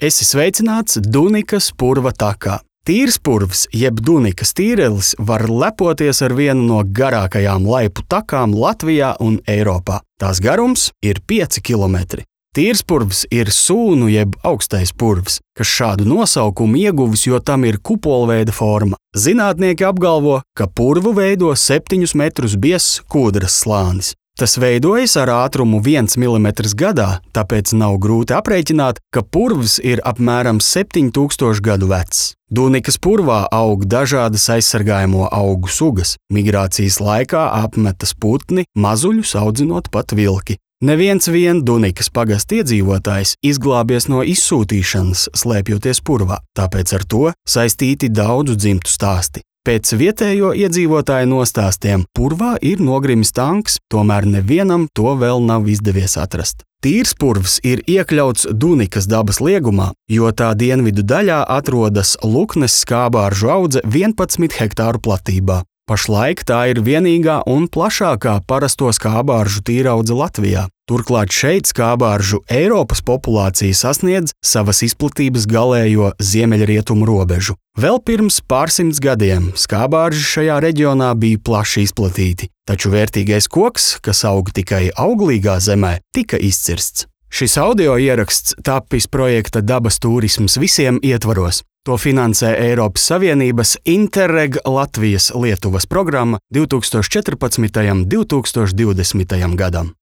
Esi sveicināts Dunikas purva takā. Tīrspurvs jeb Dunikas tīrelis var lepoties ar vienu no garākajām laipu takām Latvijā un Eiropā. Tās garums ir 5 kilometri. Tīrspurvs ir sūnu jeb augstais purvs, kas šādu nosaukumu ieguvis, jo tam ir kupolveida forma. Zinātnieki apgalvo, ka purvu veido 7 metrus biezs kūdras slānis. Tas veidojas ar ātrumu 1 mm gadā, tāpēc nav grūti aprēķināt, ka purvs ir apmēram 7000 gadu vecs. Dunikas purvā aug dažādas aizsargājamo augu sugas. Migrācijas laikā apmetas putni, mazuļus audzinot pat vilki. Neviens vien Dunikas pagasta iedzīvotājs izglābies no izsūtīšanas, slēpjoties purvā, tāpēc ar to saistīti daudzu dzimtu stāsti. Pēc vietējo iedzīvotāju nostāstiem purvā ir nogrimis tanks, tomēr nevienam to vēl nav izdevies atrast. Tīrspurvs ir iekļauts Dunikas dabas liegumā, jo tā dienvidu daļā atrodas Luknes skābāržu audze 11 hektāru platībā. Pašlaik tā ir vienīgā un plašākā parasto skābāržu tīraudze Latvijā. Turklāt šeit skābāržu Eiropas populācija sasniedz savas izplatības galējo ziemeļrietumu robežu. Vēl pirms pārsimts gadiem skābārži šajā reģionā bija plaši izplatīti, taču vērtīgais koks, kas aug tikai auglīgā zemē, tika izcirsts. Šis audio ieraksts tapis projekta Dabas turisms visiem ietvaros. To finansē Eiropas Savienības Interreg Latvijas-Lietuvas programma 2014. un 2020. gadam.